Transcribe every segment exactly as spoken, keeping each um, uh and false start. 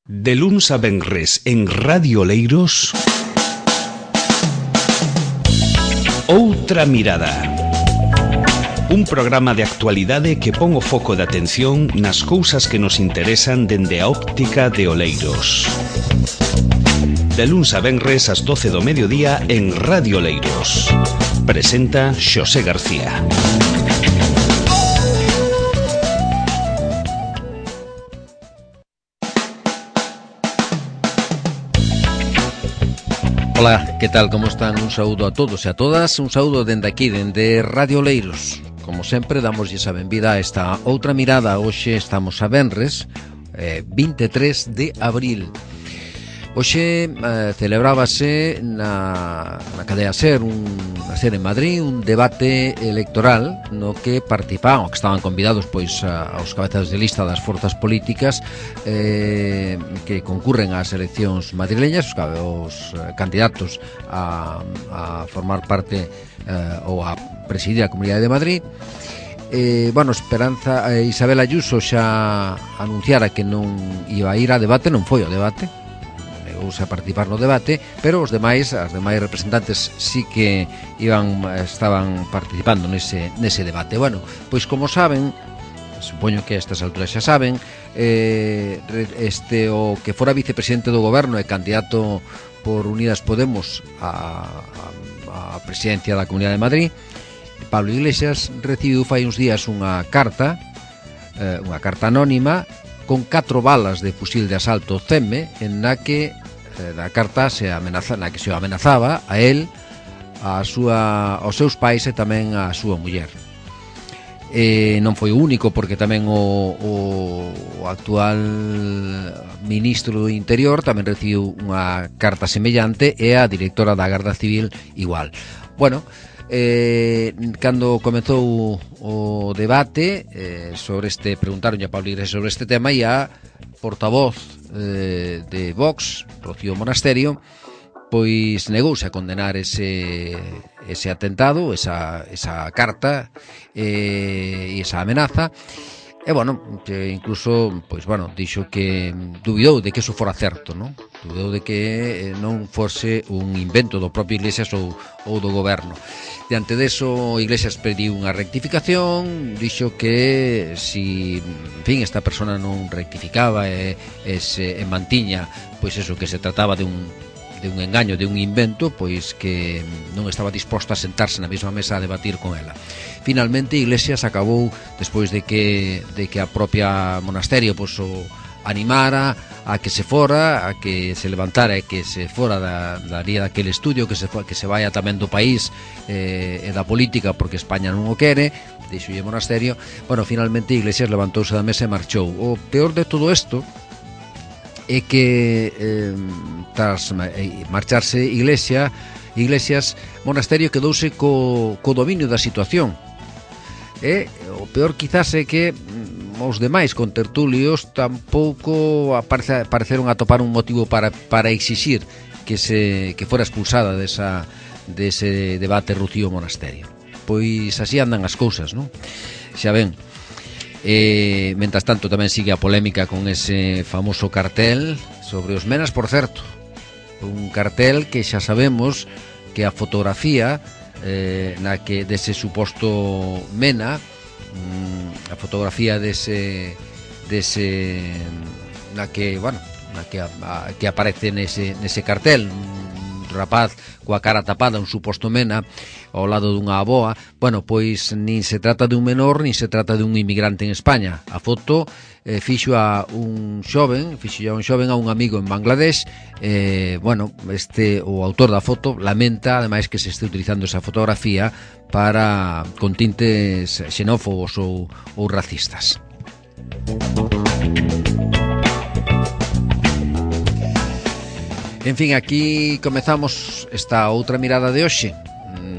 De luns a venres en Radio Oleiros, Outra Mirada. Un programa de actualidade que pon o foco de atención nas cousas que nos interesan dende a óptica de Oleiros. De luns a venres ás doce do mediodía en Radio Oleiros. Presenta Xosé García. Ola, que tal, como están? Un saúdo a todos e a todas, un saúdo dende aquí, dende Radio Oleiros. Como sempre, damoslle a benvida a esta outra mirada. Hoxe estamos a venres, eh, vinte e tres de abril. Hoxe eh, celebrábase na, na cadea SER, un, a SER en Madrid, un debate electoral no que participaban, que estaban convidados pois a, aos cabezas de lista das forzas políticas eh, que concurren ás eleccións madrileñas, os, os eh, candidatos a, a formar parte eh, ou a presidir a Comunidade de Madrid. Eh, bueno, Esperanza eh, Isabel Ayuso xa anunciara que non iba a ir a debate, non foi ao debate, a participar no debate, pero os demais, as demais representantes sí que iban, estaban participando nese, nese debate. Bueno, pois como saben, supoño que a estas alturas xa saben, eh, este o que fora vicepresidente do goberno e candidato por Unidas Podemos a, a, a presidencia da Comunidade de Madrid, Pablo Iglesias, recibiu fai uns días unha carta, eh, unha carta anónima con catro balas de fusil de asalto C E M E, en na que da carta se amenaza, na que se amenazaba a él, a súa, aos seus pais e tamén a súa muller. E non foi o único, porque tamén o, o, o actual ministro do Interior tamén recibiu unha carta semellante, e a directora da Garda Civil igual. Bueno, eh, cando comezou o debate eh, sobre este, preguntaron a Pablo Iglesias sobre este tema, e a portavoz eh, de Vox, Rocío Monasterio, pois negouse a condenar ese, ese atentado, esa, esa carta eh, e esa amenaza. E, bueno, que incluso, pois, bueno, dixo que dubidou de que eso fora certo, non? Dubidou de que non fose un invento do propio Iglesias ou, ou do goberno. Diante deso, Iglesias pediu unha rectificación, dixo que si, en fin, esta persona non rectificaba e, e se e mantiña, pois eso, que se trataba de un de un engaño, de un invento, pois que non estaba disposta a sentarse na mesma mesa a debatir con ela. Finalmente, Iglesias acabou, despois de que de que a propia Monasterio pois o animara a que se fora, a que se levantara e que se fora da, daría daquele estudio, que se que se vaya tamén do país eh, e da política, porque España non o quere, dixolle Monasterio. Bueno, finalmente Iglesias levantouse da mesa e marchou. O peor de todo isto é que eh, tras marcharse Iglesia, Iglesias, Monasterio quedouse co, co dominio da situación. E o peor quizás é que os demais contertulios tampouco aparece, pareceron atopar un motivo para, para exixir que se que fora expulsada desa, dese debate Rocío Monasterio. Pois así andan as cousas, non? Xa ven. E, mentras tanto, tamén sigue a polémica con ese famoso cartel sobre os menas, por certo, un cartel que xa sabemos que a fotografía eh, na que dese suposto mena, mm, a fotografía dese dese na que, bueno, na que, a, a, que aparece nese, nese cartel, un rapaz coa cara tapada, un suposto mena ao lado dunha aboa. Bueno, pois nin se trata de un menor, nin se trata de un inmigrante en España. A foto eh, fixo a un xoven, fixo a un xoven a un amigo en Bangladesh. Eh, bueno, este o autor da foto lamenta ademais que se este utilizando esa fotografía para con tintes xenófobos ou, ou racistas. En fin, aquí comezamos esta outra mirada de hoxe,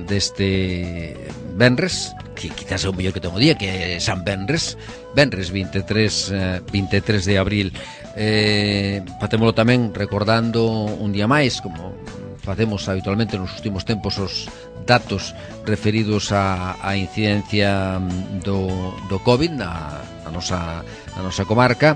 deste venres, que quizás é o mellor que ten o día, que é San Venres, venres vinte e tres de abril. Eh, facémolo tamén recordando un día máis, como facemos habitualmente nos últimos tempos, os datos referidos á, á incidencia do, do COVID na, na, nosa, na nosa comarca.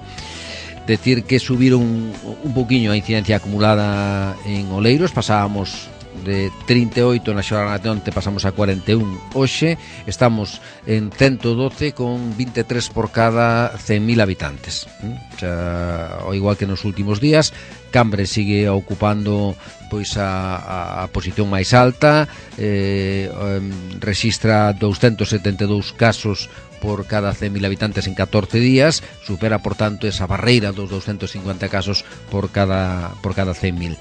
Decir que subiron un poquinho a incidencia acumulada en Oleiros, pasábamos de trinta e oito na xornada de onte, pasamos a cuarenta e un hoxe, estamos en ciento doce con vinte e tres por cada cen mil habitantes. Xa, ao igual que nos últimos días, Cambre sigue ocupando pois a, a, a posición máis alta, eh, eh, rexistra doscientos setenta e dous casos por cada cen mil habitantes en catorce días, supera por tanto esa barreira dos doscientos cincuenta casos por cada por cada cen mil.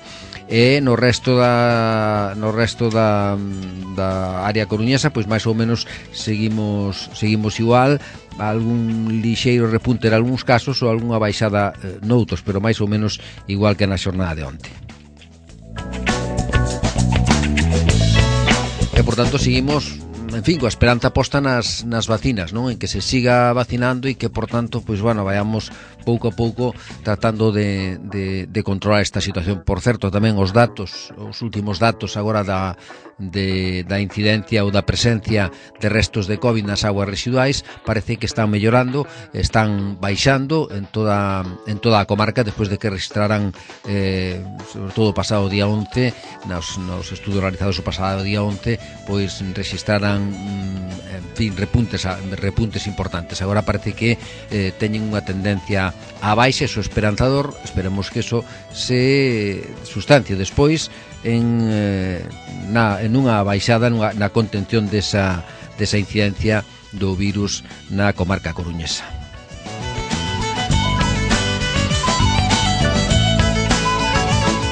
E no resto da no resto da, da área coruñesa, pois máis ou menos seguimos seguimos igual, algún lixeiro repunte en algúns casos ou algunha baixada eh, noutros, pero máis ou menos igual que na xornada de onte. E por tanto seguimos, en fin, coa esperanza posta nas, nas vacinas, non? En que se siga vacinando e que, por tanto, pois, bueno, vayamos pouco a pouco tratando de, de, de controlar esta situación. Por certo, tamén os datos, os últimos datos agora da, de, da incidencia ou da presencia de restos de COVID nas aguas residuais parece que están mellorando, están baixando en toda, en toda a comarca despois de que registraran, eh, sobre todo o pasado día once, nos, nos estudos realizados o pasado día once, pois registraran, en fin, repuntes, repuntes importantes. Agora parece que eh, teñen unha tendencia a baixa, eso esperanzador. Esperemos que eso se sustancie despois en, eh, na, en unha baixada nunha, na contención desa, desa incidencia do virus na comarca coruñesa.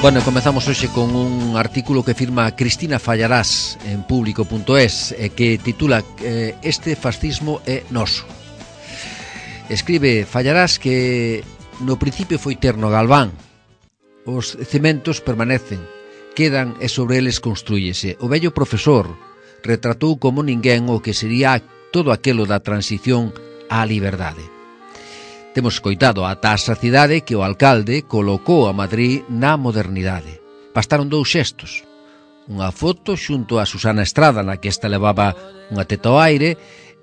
Bueno, comezamos hoxe con un artículo que firma Cristina Fallarás en público punto es e que titula eh, Este fascismo é noso. Escribe Fallarás que no principio foi Tierno Galván. Os cementos permanecen, quedan e sobre eles construíese. O vello profesor retratou como ninguén o que sería todo aquelo da transición á liberdade. Temos escoitado ata a sacidade que o alcalde colocou a Madrid na modernidade. Bastaron dous xestos. Unha foto xunto a Susana Estrada na que esta levaba unha teta ao aire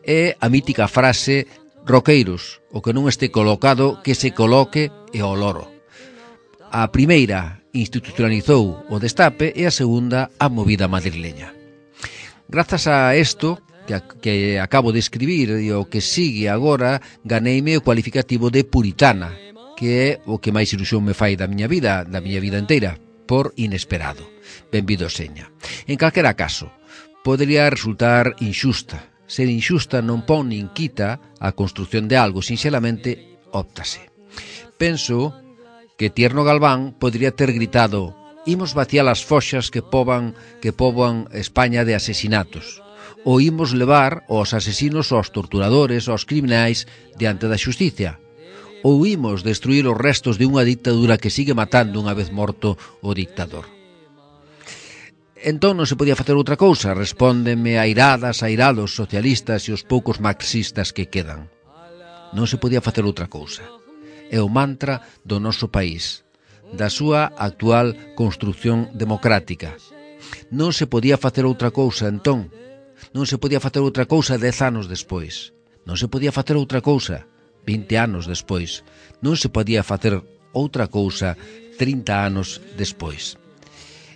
e a mítica frase Roqueiros, o que non este colocado que se coloque e o loro. A primeira institucionalizou o destape e a segunda a movida madrileña. Grazas a isto que, que acabo de escribir e o que sigue agora, ganeime o cualificativo de puritana, que é o que máis ilusión me fai da miña vida, da miña vida inteira, por inesperado. Benvido seña. En calquera caso, podería resultar inxusta. Ser inxusta non pon nin quita a construción de algo, sinxelamente óptase. Penso que Tierno Galván podría ter gritado: imos vaciar as foxas que poban que poboan España de asesinatos, ou imos levar os asesinos, aos torturadores, aos criminais diante da xusticia, ou imos destruir os restos de unha dictadura que sigue matando unha vez morto o dictador. Entón non se podía facer outra cousa, respóndeme airadas, airados socialistas e os poucos marxistas que quedan. Non se podía facer outra cousa. É o mantra do noso país, da súa actual construción democrática. Non se podía facer outra cousa, entón. Non se podía facer outra cousa dez anos despois. Non se podía facer outra cousa vinte anos despois. Non se podía facer outra cousa trinta anos despois.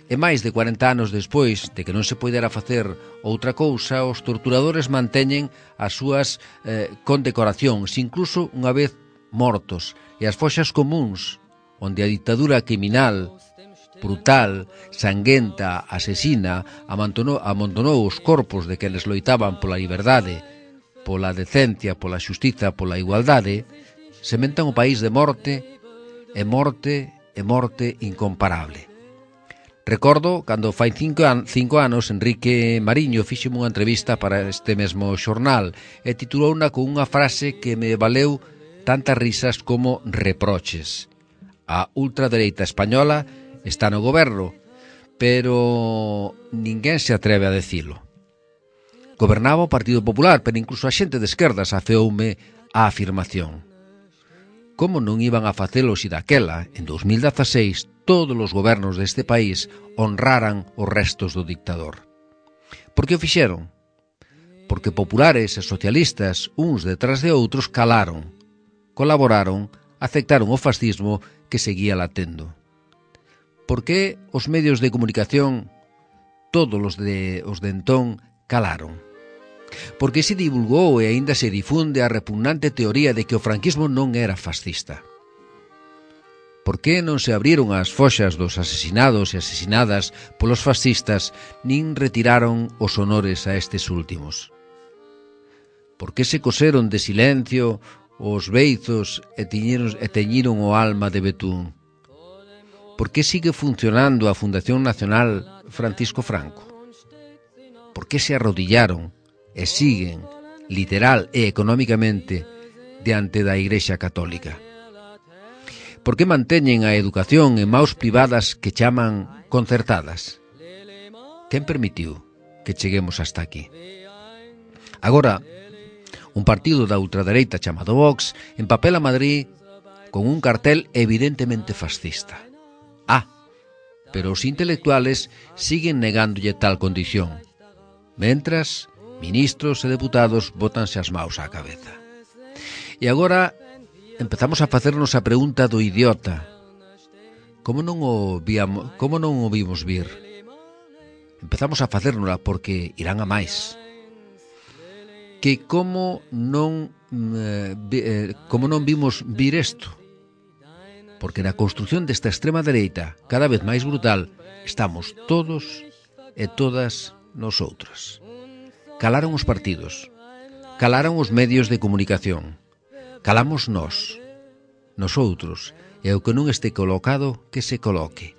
E máis de cuarenta anos despois de que non se poidera facer outra cousa, os torturadores manteñen as súas eh, condecoracións, incluso unha vez mortos, e as foxas comuns, onde a dictadura criminal, brutal, sanguenta, asesina, amontonou, amontonou os corpos de quenes loitaban pola liberdade, pola decencia, pola xustiza, pola igualdade, sementan o país de morte, e morte, e morte incomparable. Recordo cando fai cinco, an, cinco anos Enrique Mariño fixeme unha entrevista para este mesmo xornal e titulouna con unha frase que me valeu tantas risas como reproches. A ultradereita española está no goberno, pero ninguén se atreve a decilo. Gobernaba o Partido Popular, pero incluso a xente de esquerdas afeoume a afirmación. Como non iban a facelo se daquela, en dos mil dieciséis, todos os gobernos deste país honraran os restos do dictador? Por que o fixeron? Porque populares e socialistas, uns detrás de outros, calaron, colaboraron aceptaron o fascismo que seguía latendo. Por que os medios de comunicación, todos os de, os de entón, calaron? Por que se divulgou e aínda se difunde a repugnante teoría de que o franquismo non era fascista? Por que non se abriron as foxas dos asesinados e asesinadas polos fascistas nin retiraron os honores a estes últimos? Por que se coseron de silencio os beizos e teñiron, e teñiron o alma de betún? Por que sigue funcionando a Fundación Nacional Francisco Franco? Por que se arrodillaron e siguen, literal e económicamente, diante da Igrexa Católica? Por que manteñen a educación en maus privadas que chaman concertadas? Quen permitiu que cheguemos hasta aquí? Agora, un partido da ultradereita chamado Vox empapela Madrid con un cartel evidentemente fascista. Ah, pero os intelectuales siguen negándolle tal condición, mentras ministros e deputados bótanse as maus á cabeza. E agora empezamos a facernos a pregunta do idiota. Como non o víamos, como non o vimos vir? Empezamos a facérnola porque irán a máis. Que como non eh, como non vimos vir isto? Porque na construción desta extrema dereita, cada vez máis brutal, estamos todos e todas nosotras. Calaron os partidos, calaron os medios de comunicación, calamos nós, nosoutros, e o que non este colocado, que se coloque.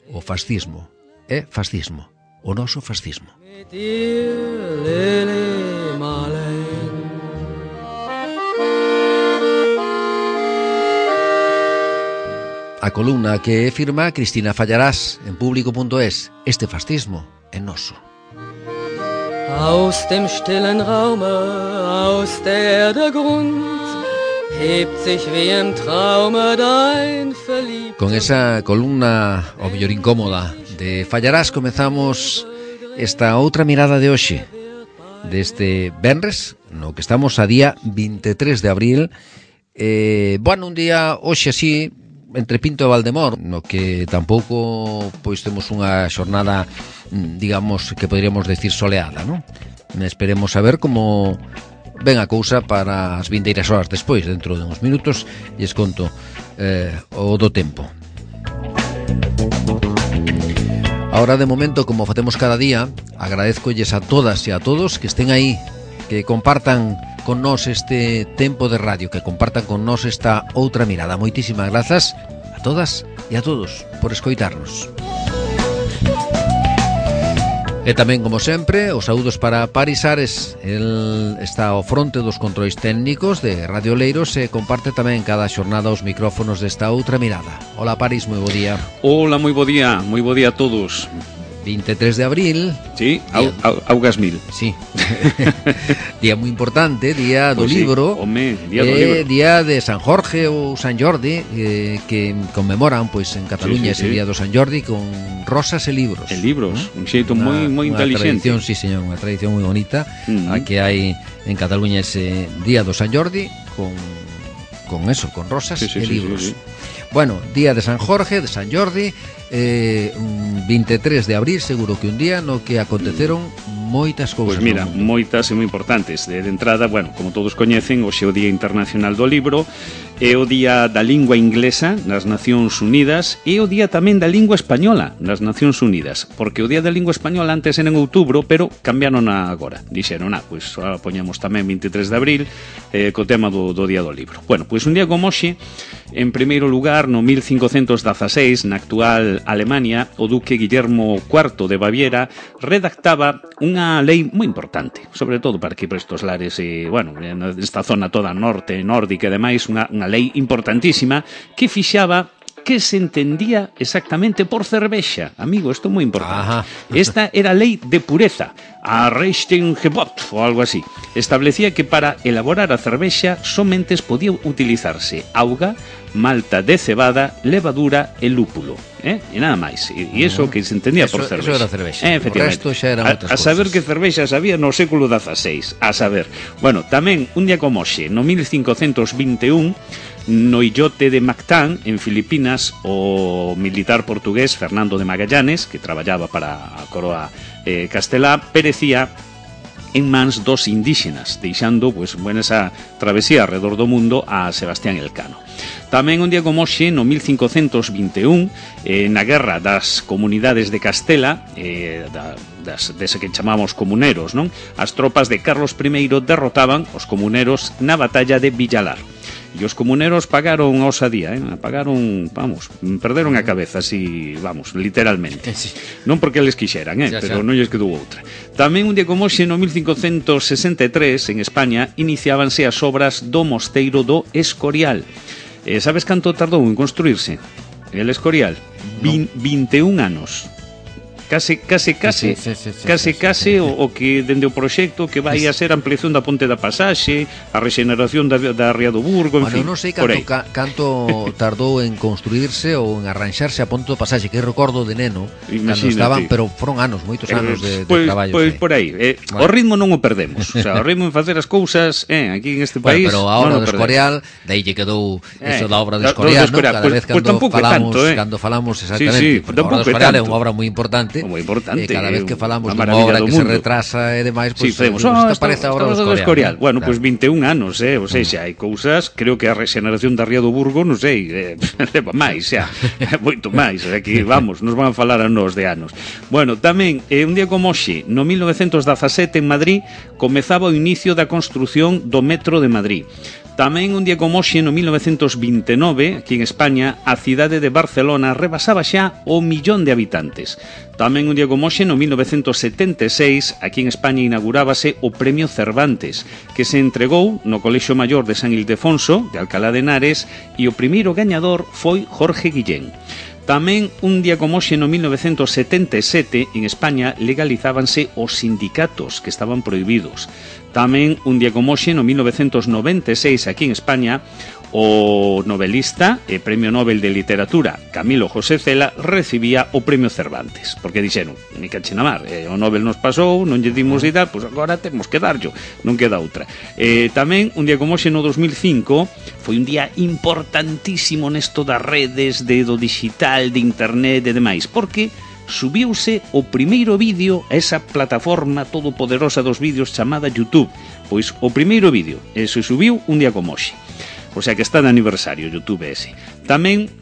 O fascismo é fascismo, o noso fascismo. A columna que firma Cristina Fallarás en público punto es: este fascismo é noso. Aus dem stillen Raume, aus der Erde Grund, hebt sich wie im Traume dein verliebter... Con esa columna, o mellor incómoda, de Fallarás comezamos esta outra mirada de hoxe, deste venres, no que estamos a día vinte e tres de abril. Eh, bueno, un día hoxe así, entre Pinto e Valdemor, no que tampouco pois temos unha xornada, digamos, que poderíamos decir soleada, non? Esperemos a ver como ven a cousa para as vindeiras horas despois, dentro de uns minutos, e es conto eh, o do tempo. Ahora, de momento, como facemos cada día, agradezcolles a todas e a todos que estén aí, que compartan con nós este tempo de radio, que compartan con nós esta outra mirada. Moitísimas grazas a todas e a todos por escoitarnos. E tamén, como sempre, os saúdos para Paris Ares. El está ao fronte dos controis técnicos de Radio Oleiros e comparte tamén cada xornada os micrófonos desta outra mirada. Hola, Paris, moi bo día. Hola, moi bo día, moi bo día a todos. vinte e tres de abril. Sí, au, au, augas mil. Sí. Día moi importante, día do pues libro. Sí, home, día do eh, libro. Día de San Jorge ou San Jordi, eh, que conmemoran pois en Cataluña sí, sí, ese sí. Día do San Jordi con rosas e libros. E libros, ¿no? Un xeito moi moi inteligente. Unha tradición, sí, señor, unha tradición moi bonita, uh-huh. a que hai en Cataluña ese Día do San Jordi con con eso, con rosas sí, sí, e libros. Sí, sí, sí. Bueno, Día de San Jorge, de San Jordi, eh, vinte e tres de abril, seguro que un día no que aconteceron moitas cousas. Pois mira, moitas e moi importantes. De, de entrada, bueno, como todos coñecen, hoxe é o Día Internacional do Libro, é o Día da Lingua Inglesa nas Nacións Unidas e o Día tamén da Lingua Española nas Nacións Unidas, porque o Día da Lingua Española antes era en outubro, pero cambiaron agora. Dixeron, ah, pois ahora poñamos tamén vinte e tres de abril eh, co tema do, do Día do Libro. Bueno, pois un día como hoxe, en primeiro lugar, no mil cincocentos dezaseis, na actual Alemania, o duque Guillermo cuarto de Baviera redactaba unha lei moi importante, sobre todo para que para estos lares, eh, bueno, nesta zona toda norte, nórdica e demais, unha, unha lei importantísima que fixaba que se entendía exactamente por cervexa. Amigo, isto é moi importante. Ajá. Esta era a lei de pureza, a Reinheitsgebot ou algo así. Establecía que para elaborar a cervexa somente podía utilizarse auga, malta de cebada, levadura e lúpulo, eh? E nada máis. E, e iso que se entendía eso, por cervexa. Eso era cervexa. Eh, efectivamente. O resto xa eran outras a, a saber que cervexa sabía no século dezaseis. A saber. Bueno, tamén un día como hoxe, no mil cincocentos vinte e un, no illote de Mactán, en Filipinas, o militar portugués Fernando de Magallanes, que traballaba para a coroa eh, castelá, perecía en mans dos indígenas, deixando pues, bueno, esa travesía alrededor do mundo a Sebastián Elcano. Tamén un día como hoxe, no mil cincocentos vinte e un, eh, na guerra das comunidades de Castela, eh, da, das, dese que chamamos comuneros, non? As tropas de Carlos primeiro derrotaban os comuneros na batalla de Villalar. E os comuneros pagaron a osadía, eh? pagaron, vamos, perderon a cabeza, así, vamos, literalmente. Sí. Non porque les quixeran, eh? pero non lles quedou outra. Tamén un día como hoxe, no mil cincocentos sesenta e tres, en España, iniciábanse as obras do Mosteiro do Escorial. Eh, sabes canto tardou en construirse el Escorial? No. vinte e un anos. Case, case, case, sí, sí, sí, sí, case, sí, sí, case sí, sí. O, o que dende o proxecto que vai a ser a ampliación da Ponte da Pasaxe, a rexeneración da, da Ría do Burgo, en bueno, fin. Non sei canto, ca, canto tardou en construirse ou en arranxarse a Ponte da Pasaxe, que recordo de neno, cando estaban, pero foron anos, moitos anos de, de pues, traballo. Pois pues, por aí, eh, bueno. O ritmo non o perdemos, o sea, o ritmo en facer as cousas, eh, aquí en este país. Bueno, pero a obra do Escorial, dai lle quedou eh, eso da obra do Escorial, ¿no? Cada pues, vez cando pues falamos, tanto, eh. cando falamos exactamente, sí, sí, porque a obra do Escorial é unha obra moi importante. Moi importante. Cada vez que falamos dunha obra que mundo. Se retrasa e demais, pois pues, sí, oh, esta parece a obra do Escorial. Escorial. ¿No? Bueno, claro. Pois pues vinte e un anos, eh, ou seja, hai cousas, creo que a rexeneración da Ría do Burgo, non sei, eh, leva máis, xa, moito máis, aquí vamos, nos van a falar a nós de anos. Bueno, tamén, eh, un día como hoxe, no mil novecentos dezasete en Madrid, comezaba o inicio da construción do metro de Madrid. Tamén un día como hoxe, no mil novecentos vinte e nove, aquí en España, a cidade de Barcelona rebasaba xa o millón de habitantes. Tamén un día como hoxe, no mil novecentos setenta e seis, aquí en España inaugurábase o Premio Cervantes, que se entregou no Colexio Maior de San Ildefonso, de Alcalá de Henares, e o primeiro gañador foi Jorge Guillén. Tamén un día como hoxe, no mil novecentos setenta e sete, en España legalizábanse os sindicatos que estaban prohibidos. Tamén un día como hoxe, no mil novecentos noventa e seis, aquí en España, o novelista e Premio Nobel de Literatura Camilo José Cela recibía o Premio Cervantes, porque dixeron, ni cache na mar, eh, o Nobel nos pasou, non lle dimos de dar, pois agora temos que darllo, non queda outra. Eh, tamén, un día como hoxe, no dos mil cinco, foi un día importantísimo nesto das redes, de do digital, de internet e demais, porque subiuse o primeiro vídeo a esa plataforma todopoderosa dos vídeos chamada YouTube. Pois o primeiro vídeo, e se subiu un día como hoxe. O sea que está de aniversario YouTube ese. Tamén,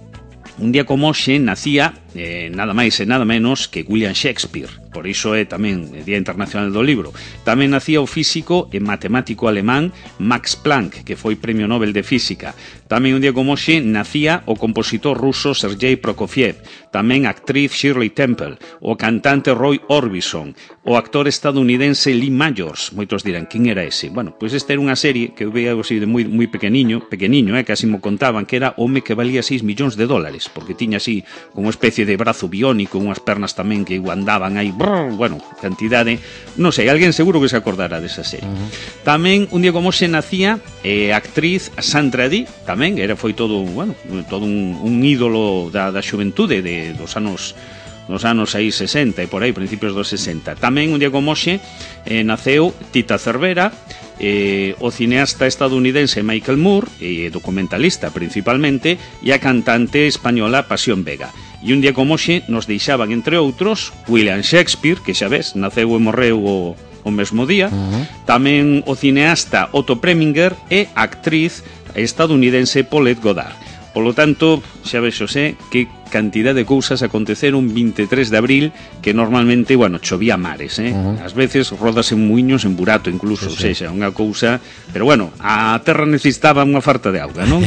un día como hoxe, nacía eh, nada máis e nada menos que William Shakespeare. Por iso é tamén o Día Internacional do Libro. Tamén nacía o físico e matemático alemán Max Planck, que foi Premio Nobel de Física. Tamén un día como hoxe nacía o compositor ruso Sergei Prokofiev. Tamén a actriz Shirley Temple, o cantante Roy Orbison, o actor estadounidense Lee Majors. Moitos dirán, quen era ese? Bueno, pois esta era unha serie que eu veía así de moi, moi pequeniño, pequeniño, eh, casi mo contaban que era home que valía seis millóns de dólares, porque tiña así como unha especie de brazo biónico, unhas pernas tamén que andaban aí, brrr, bueno, cantidade, non sei, alguén seguro que se acordará desa serie. Uh-huh. Tamén un día como se nacía eh, a actriz Sandra Dee, tamén era foi todo, bueno, todo un, un ídolo da, da xuventude de dos anos nos anos aí sesenta e por aí, principios dos sesenta. Tamén un día como hoxe eh, naceu Tita Cervera, eh, o cineasta estadounidense Michael Moore, e eh, documentalista principalmente, e a cantante española Pasión Vega. E un día como hoxe nos deixaban, entre outros, William Shakespeare, que xa ves, naceu e morreu o, o mesmo día, uh-huh. Tamén o cineasta Otto Preminger e a actriz estadounidense Paulette Goddard. Polo tanto, xa ves, Xosé, que cantidad de cousas aconteceron vinte e tres de abril, que normalmente, bueno, chovía mares, eh? Uh-huh. Ás veces rodas en muiños, en burato incluso, sí, sí. Sexa, unha cousa, pero bueno, a terra necesitaba unha farta de auga, non?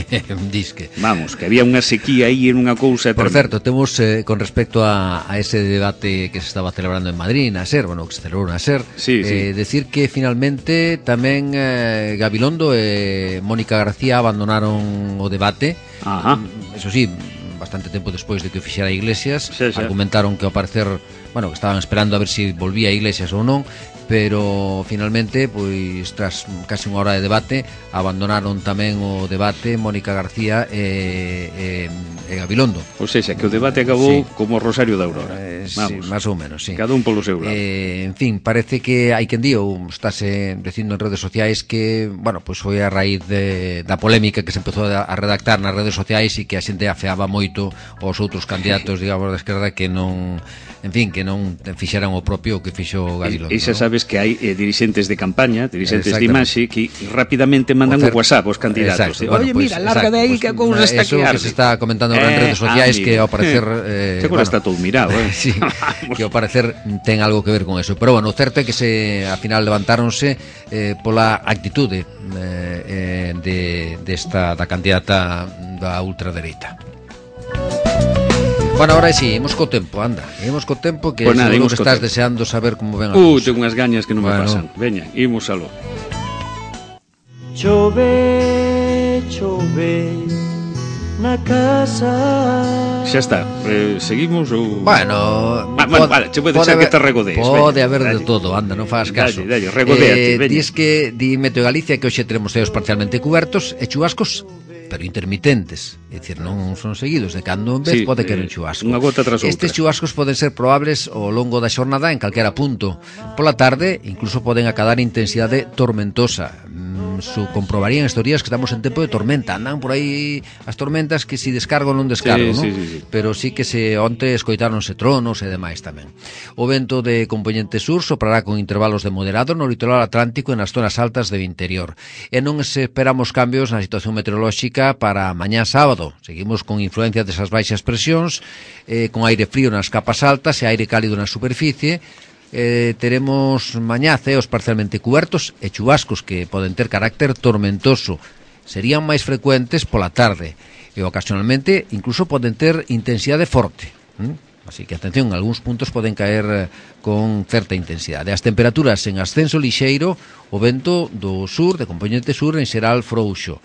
Disque. Vamos, que había unha sequía aí en unha cousa. Por certo, temos eh, con respecto a, a ese debate que se estaba celebrando en Madrid, na SER, bueno, que se celebrou na SER, sí, sí. Eh, decir que finalmente tamén eh, Gabilondo e Mónica García abandonaron o debate. Ajá. Eso sí, bastante tempo despois de que o fixera Iglesias, sí, sí. Argumentaron que ao parecer, bueno, que estaban esperando a ver se si volvía Iglesias ou non, pero finalmente, pois tras casi unha hora de debate, abandonaron tamén o debate Mónica García e, e, e Gabilondo. Ou seja, que o debate acabou sí. Como Rosario da Aurora. Eh, sí, más ou menos, sí. Cada un polo seu lado. Eh, en fin, parece que hai quen di, ou estáse dicindo en redes sociais que, bueno, pois pues foi a raíz de, da polémica que se empezou a redactar nas redes sociais e que a xente afeaba moito aos outros candidatos, digamos, da esquerda que non, en fin, que non fixeran o propio que fixo Gabilondo. E xa sabes que hai eh, dirixentes de campaña, dirixentes de imaxe que rapidamente mandan o, o WhatsApp aos candidatos. Exacto, Oye, bueno, mira, pues, larga de aí pues, que a cousa está eso que que se está comentando eh, en redes sociais ah, que ao parecer eh, bueno, está todo mirado, eh. Sí, que ao parecer ten algo que ver con eso. Pero bueno, o certo é que se a final levantáronse eh, pola actitude eh, de desta da candidata da ultradereita. Bueno, ahora sí, imos co tempo, anda. Imos co tempo que pues nada, seguro que estás tempo. Deseando saber como ven a cousa. Uh, tengo unhas gañas que non bueno. me pasan. Veña, imos aló. Chove, chove na casa. Xa está, eh, seguimos ou... Bueno, Va, bueno vale, che pode deixar que te regodees. Pode haber de todo, anda, non faz caso. Dalle, dalle, regodéate, eh, Dis que di Meteo Galicia que hoxe teremos ceos parcialmente cubertos e chubascos pero intermitentes, é dicir, non son seguidos, de cando en vez sí, pode querer un chubasco. Unha gota tras outra. Estes chubascos poden ser probables ao longo da xornada en calquera punto. Pola tarde, incluso poden acadar intensidade tormentosa. Mm, su comprobarían estes días que estamos en tempo de tormenta. Andan por aí as tormentas que si descargo non descargo, sí, non? Sí, sí, sí. Pero sí que se onte escoitáronse tronos e demais tamén. O vento de componente sur soprará con intervalos de moderado no litoral atlántico e nas zonas altas do interior. E non esperamos cambios na situación meteorolóxica para mañá sábado. Seguimos con influencia desas baixas presións, eh, con aire frío nas capas altas e aire cálido na superficie. Eh, teremos mañá ceos parcialmente cubertos e chubascos que poden ter carácter tormentoso. Serían máis frecuentes pola tarde e ocasionalmente incluso poden ter intensidade forte. ¿Mm? Así que, atención, algúns puntos poden caer con certa intensidade. As temperaturas en ascenso lixeiro, o vento do sur, de componente sur, en xeral frouxo.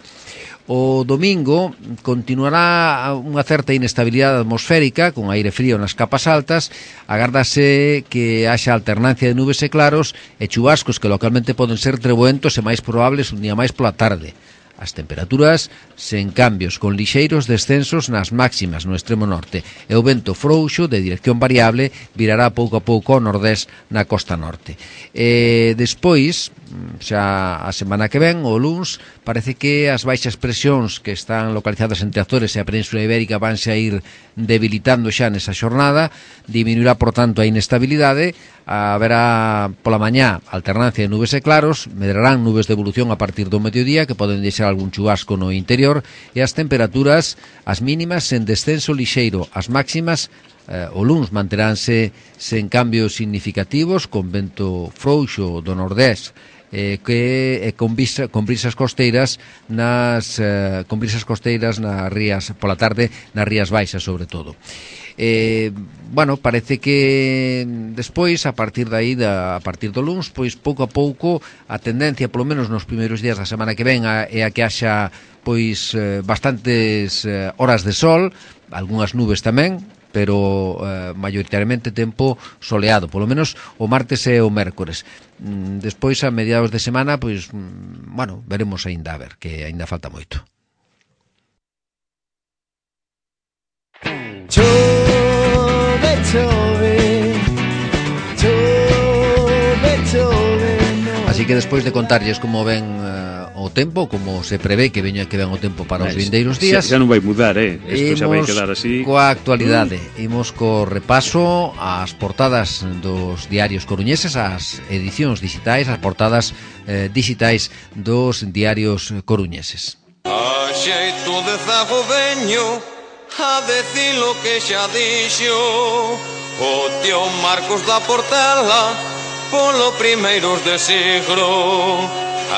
O domingo continuará unha certa inestabilidade atmosférica con aire frío nas capas altas. Agárdase que haxa alternancia de nubes e claros e chubascos que localmente poden ser treboentos e máis probables un día máis pola tarde. As temperaturas sen cambios, con lixeiros descensos nas máximas no extremo norte e o vento frouxo de dirección variable virará pouco a pouco ao nordés na costa norte. E despois, xa a semana que ven, o luns, parece que as baixas presións que están localizadas entre Azores e a Península Ibérica vanse a ir debilitando xa nesa xornada, diminuirá, por tanto, a inestabilidade, haberá pola mañá alternancia de nubes e claros, medrarán nubes de evolución a partir do mediodía que poden deixar algún chubasco no interior e as temperaturas, as mínimas en descenso lixeiro, as máximas eh, o luns manteránse sen cambios significativos, con vento frouxo do nordés eh, que eh, con, visa, con brisas costeiras nas eh, con brisas costeiras nas rías pola tarde, nas rías baixas sobre todo. Eh, bueno, parece que despois, a partir de aí, da, a partir do luns, pois pouco a pouco a tendencia, polo menos nos primeiros días da semana que ven, a, é a que haxa pois eh, bastantes eh, horas de sol, algunhas nubes tamén, pero eh, maioritariamente tempo soleado, polo menos o martes e o mércores. Mm, despois, a mediados de semana, pois, mm, bueno, veremos aínda, a ver, que aínda falta moito. Chove, chove, chove, chove, no. Así que despois de contarlles como ven uh, o tempo, como se prevé que veña que ven o tempo para os vindeiros días, xa non vai mudar, eh? Isto xa vai quedar así. Coa actualidade, imos co repaso ás portadas dos diarios coruñeses, as edicións digitais, as portadas eh, digitais dos diarios coruñeses. A xeito de zago veño a decir lo que xa dixo o tío Marcos da Portela polo primeiros de siglo,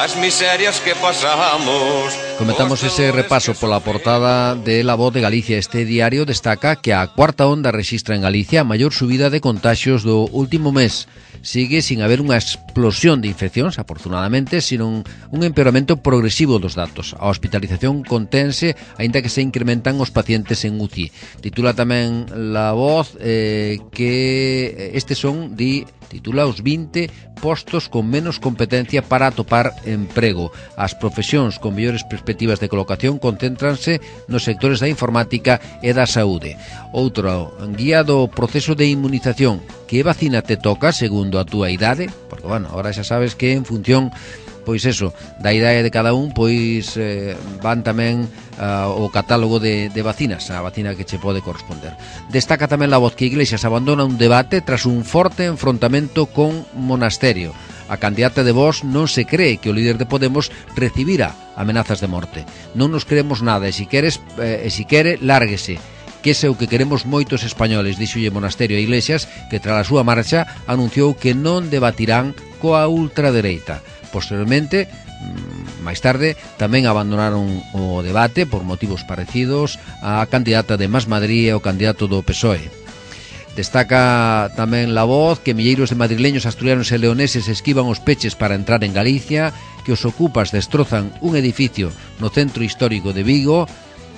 as miserias que pasamos. Comentamos ese repaso pola portada de La Voz de Galicia. Este diario destaca que a cuarta onda rexistra en Galicia a maior subida de contaxios do último mes. Sigue sin haber unha explosión de infeccións, afortunadamente, sino un empeoramento progresivo dos datos. A hospitalización contense, aínda que se incrementan os pacientes en U C I. Titula tamén La Voz eh, que estes son, di, titula os vinte postos con menos competencia para atopar emprego. As profesións con mellores perspectivas de colocación concéntranse nos sectores da informática e da saúde. Outro, guía do proceso de inmunización. Que vacina te toca segundo a túa idade? Porque, bueno, ahora xa sabes que en función, pois eso, da idade de cada un, pois eh, van tamén uh, o catálogo de, de vacinas, a vacina que che pode corresponder. Destaca tamén La Voz que Iglesias abandona un debate tras un forte enfrontamento con Monasterio. A candidata de Vox non se cree que o líder de Podemos recibira amenazas de morte. Non nos creemos nada e si queres, eh, e si quere, lárguese. Que ese é o que queremos moitos españoles, dixolle Monasterio a Iglesias, que tras a súa marcha anunciou que non debatirán coa ultradereita. Posteriormente, máis tarde, tamén abandonaron o debate por motivos parecidos a candidata de Más Madrid e o candidato do P S O E. Destaca tamén La Voz que milleiros de madrileños, asturianos e leoneses esquivan os peches para entrar en Galicia, que os ocupas destrozan un edificio no centro histórico de Vigo,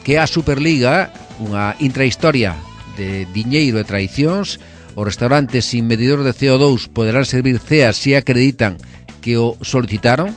que a Superliga, unha intrahistoria de diñeiro e traicións, os restaurantes sin medidor de C O dous poderán servir ceas se acreditan que o solicitaron.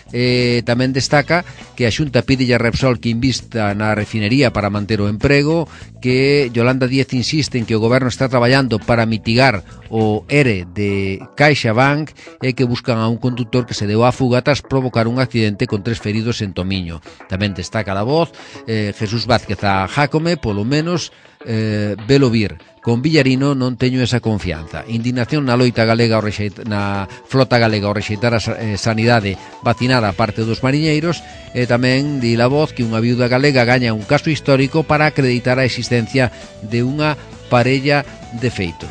Eh, tamén destaca que a Xunta pide a Repsol que invista na refinería para manter o emprego, que Yolanda Díaz insiste en que o goberno está traballando para mitigar o ERE de CaixaBank e que buscan a un conductor que se deu á fuga tras provocar un accidente con tres feridos en Tomiño. Tamén destaca La Voz eh, Jesús Vázquez a Jácome, polo menos eh, velo vir. Con Villarino non teño esa confianza. Indignación na loita galega ao rexeitar, na flota galega ao rexeitar a sanidade vacinada a parte dos mariñeiros, e tamén di La Voz que unha viuda galega gaña un caso histórico para acreditar a existencia de unha parella de feito.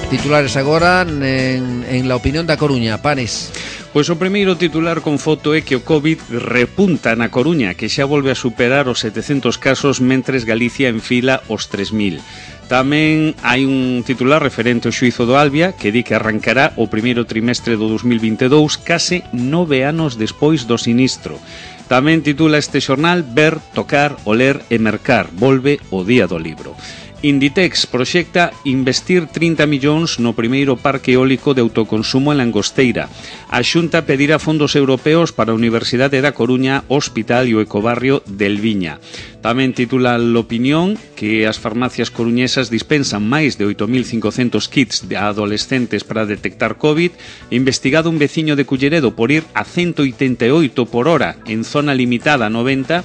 Titulares agora en, en La Opinión da Coruña. Panes. Pois o primeiro titular con foto é que o COVID repunta na Coruña, que xa volve a superar os setecentos casos, mentres Galicia enfila os tres mil. Tamén hai un titular referente ao xuízo do Albia, que di que arrancará o primeiro trimestre do dos mil vinte e dous, case nove anos despois do sinistro. Tamén titula este xornal Ver, tocar, oler e mercar. Volve o día do libro. Inditex proxecta investir trinta millóns no primeiro parque eólico de autoconsumo en Langosteira. A Xunta pedirá fondos europeos para a Universidade da Coruña, Hospital e o Ecobarrio del Viña. Tamén titula L'Opinión que as farmacias coruñesas dispensan máis de oito mil cincocentos kits de adolescentes para detectar COVID. Investigado un veciño de Culleredo por ir a ciento oitenta e oito por hora en zona limitada a noventa.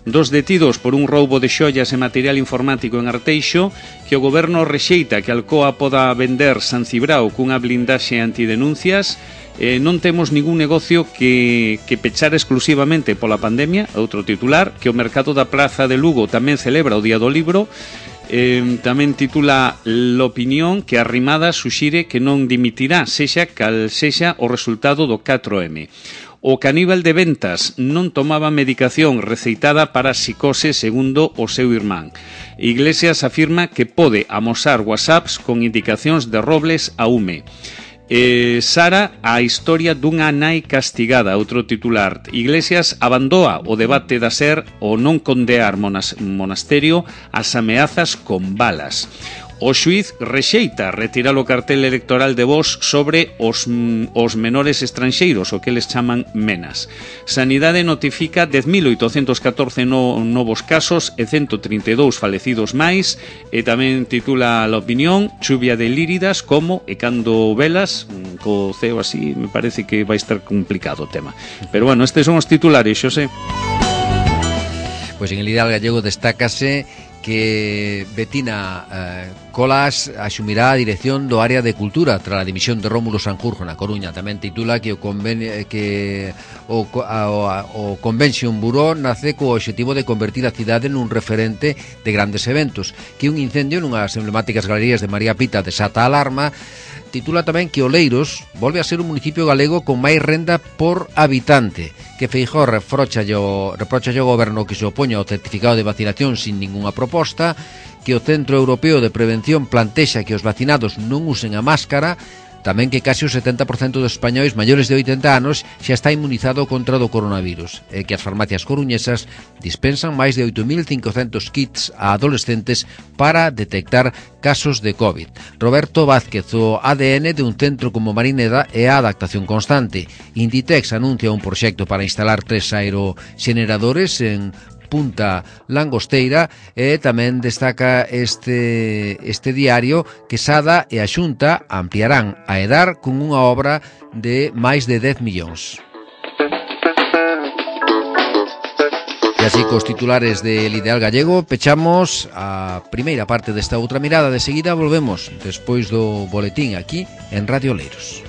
Dos detidos por un roubo de xoias e material informático en Arteixo, que o goberno rexeita que Alcoa poda vender San Cibrao cunha blindaxe antidenuncias. Eh, non temos ningún negocio que, que pechar exclusivamente pola pandemia. Outro titular, que o mercado da Praza de Lugo tamén celebra o Día do Libro. Eh, tamén titula L'Opinión que Arrimada suxire que non dimitirá, sexa cal sexa o resultado do catro eme. O caníbal de Ventas non tomaba medicación receitada para psicose segundo o seu irmán. Iglesias afirma que pode amosar whatsapps con indicacións de Robles a Ume. Eh, Sara, a historia dunha nai castigada, outro titular. Iglesias abandoa o debate da ser o non condear monas, Monasterio as ameazas con balas. O xuíz rexeita retirar o cartel electoral de Vox sobre os, os menores estranxeiros, o que les chaman menas. Sanidade notifica dez mil oitocentos catorce no, novos casos e ciento trinta e dous falecidos máis, e tamén titula La Opinión, chuvia de líridas como e cando velas, co ceo así, me parece que vai estar complicado o tema. Pero bueno, estes son os titulares, Xosé. Pois en el Ideal Gallego destácase que Betina eh, Colas asumirá a dirección do área de cultura tras a dimisión de Rómulo Sanjurjo na Coruña. Tamén titula que o convenio, que o, a, o Convention Bureau nace co objetivo de convertir a cidade nun referente de grandes eventos, que un incendio nunhas emblemáticas galerías de María Pita desata alarma. Titula tamén que Oleiros volve a ser un municipio galego con máis renda por habitante, que Feijóo reprocha o goberno que se opoña ao certificado de vacinación sin ninguna proposta, que o Centro Europeo de Prevención plantexa que os vacinados non usen a máscara. tamén que casi o setenta por cento dos españois maiores de oitenta anos xa está inmunizado contra do coronavirus e que as farmacias coruñesas dispensan máis de oito mil cincocentos kits a adolescentes para detectar casos de COVID. Roberto Vázquez, o A D N de un centro como Marineda é a adaptación constante. Inditex anuncia un proxecto para instalar tres aeroxeneradores en Punta Langosteira e tamén destaca este, este diario que Sada e a Xunta ampliarán a EDAR con unha obra de máis de dez millóns. E así cos titulares del Ideal Gallego pechamos a primeira parte desta outra mirada. De seguida volvemos despois do boletín aquí en Radio Oleiros.